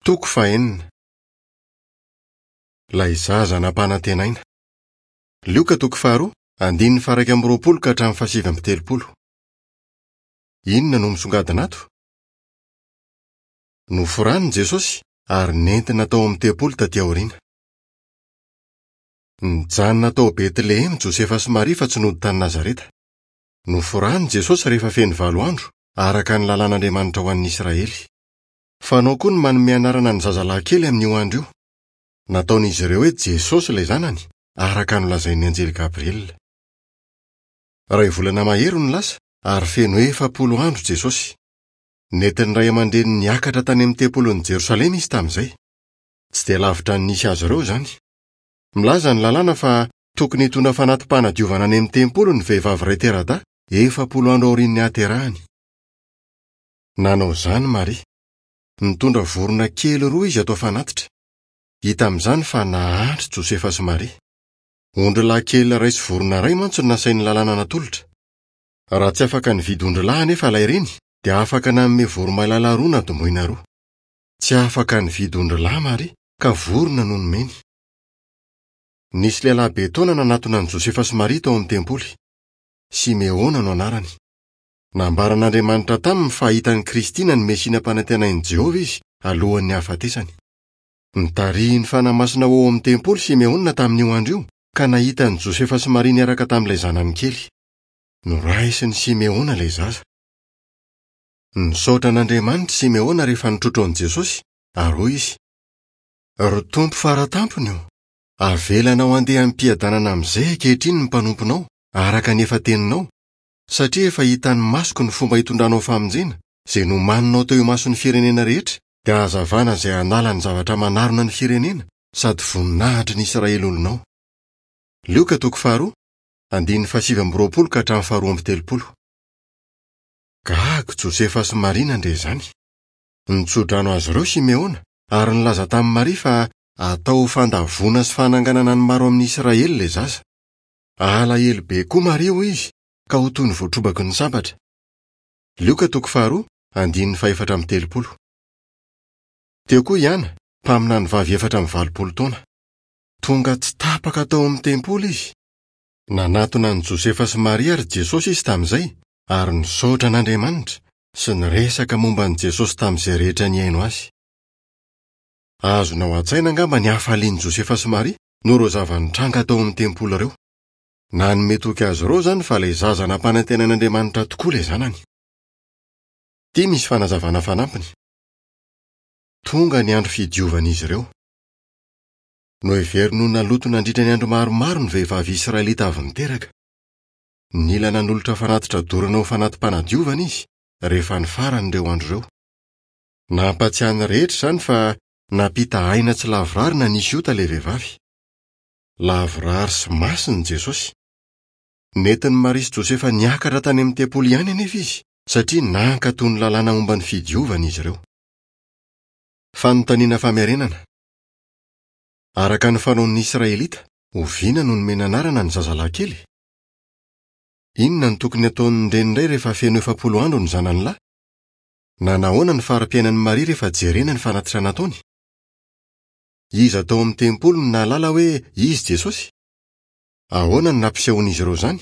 Toko fahenina. Ilay zaza nampanantenaina. Lioka toko faharoa, andininy faha 21 ka hatramin'ny faha 39. Inona no misongadina ato? Noforaniny Jesosy ary nentina tao amin'ny tempoly taty aoriana. Nijanona tao Betlehema Josefa sy Maria fa tsy nody tany Nazareta. Noforan'i Jesosy rehefa feno valo andro, araka ny lalàn'Andriamanitra ho an'ny Israely. Fanao koa ny manome anarana ny zazalahy kely amin'io andro io. Nataon'izy ireo hoe Jesosy ilay zanany, araka ny nolazain'ny anjely Gabriela. Iray volana mahery no lasa, ary feno 40 andro Jesosy. Nentin'ny ray aman-dreniny niakatra tany amin'ny tempolin'i Jerosalema izy tamin'izay. Tsy dia lavitra ny nisy azy ireo izany. Milaza ny lalàna fa tokony hitondra fanati-panadiovana any amin'ny tempoly ny vehivavy iray tera-dahy, 40 andro aorian'ny hahaterahany. Nanao izany Maria. Nitondra vorona kely roa izy atao fanatitra. Hita amin'izany fa nahantra Josefa sy Maria. Ondrilahy kely iray sy vorona iray mantsy no nasain'ny lalàna natolotra. Raha tsy afaka nividy ondrilahy anefa ilay reny, dia afaka nanome voromailala roa na domoina roa. Tsy afaka nividy ondrilahy Maria, ka vorona no nomeny. Nisy lehilahy be taona nanatona an'i Josefa sy Maria tao amin'ny tempoly. Simeona no anarany. Nambaran'Andriamanitra taminy fa hahita an'i Kristy na ny Mesia nampanantenain'i Jehovah izy, alohan'ny hahafatesany. Notarihin'ny Fanahy Masina ho ao amin'ny tempoly Simeona tamin'io andro io, ka nahita an'i Josefa sy Maria niaraka tamin'ilay zanany kely. Noraisin'i Simeona ilay zaza. Nisaotra an'Andriamanitra i Simeona rehefa nitrotro an'i Jesosy, ary hoy izy, Ry Tompo Fara Tampony ô, avelanao handeha amim-piadanana amin'izay ankehitriny ny mpanomponao, araka ny efa teninao, satria efa hitan'ny masoko ny fomba hitondranao famonjena, izay nomaninao teo imason'ny firenena rehetra, dia hazavana izay hanala ny zavatra manarona ny firenena sady voninahitry ny Israely olonao. Lioka toko faharoa, andininy fahasivy amby roapolo ka hatramin'ny faharoa amby telopolo. Gaga Josefa sy Maria nandre izany. Nitsodrano azy ireo Simeona ary nilaza tamin'i Maria fa hatao ho fandavoana sy fananganana ny maro amin'ny Israely ilay zaza. Halahelo be koa Maria, hoy izy, ka ho toy ny voatrobaky ny sabatra. Lioka toko faharoa, andininy fahefatra amby telopolo. Teo koa i Ana, mpaminany vavy 84 taona. Tonga tsy tapaka tao amin'ny tempoly izy. Nanatona an'i Josefa sy Maria ary Jesosy izy tamin'izay, ary nisaotra an'Andriamanitra, sy niresaka momba an'i Jesosy tamin'izay rehetra nihaino azy. Azonao an-tsaina angamba ny hafalian'i Josefa sy Maria noho ireo zava-nitranga tao amin'ny tempoly ireo. Nanome toky azy ireo izany fa ilay zaza nampanantenain'Andriamanitra tokoa ilay zanany. Ity misy fanazavana fanampiny. Tonga ny andro fidiovan'izy ireo. Noheveriny ho naloto nandritra ny andro maromaro ny vehivavy israelita avy niteraka. Nila nanolotra fanatitra dorana ho fanati-panadiovana izy, rehefa nifarana ireo andro ireo. Nampatsiahy ny rehetra izany fa nampita aina tsy lavorary na nisy ota ilay vehivavy. Lavorary sy masina i Jesosy. Nentin'i Maria sy Josefa niakatra tany amin'ny tempoly ihany anefa izy, satria nankatò ny lalàna momba ny fidiovana izy ireo. Fanontaniana famerenana. Araka ny fanaon'ny Israelita, oviana no nomena anarana ny zazalahy kely? Inona no tokony hataon'ny reny iray rehefa feno 40 andro ny zanany lahy? Nanahoana ny fari-piainan'i Maria rehefa jerena ny fanatitra nataony? Iza tao amin'ny tempoly no nahalala hoe izy Jesosy? Ahoana no nampisehoan'izy ireo izany?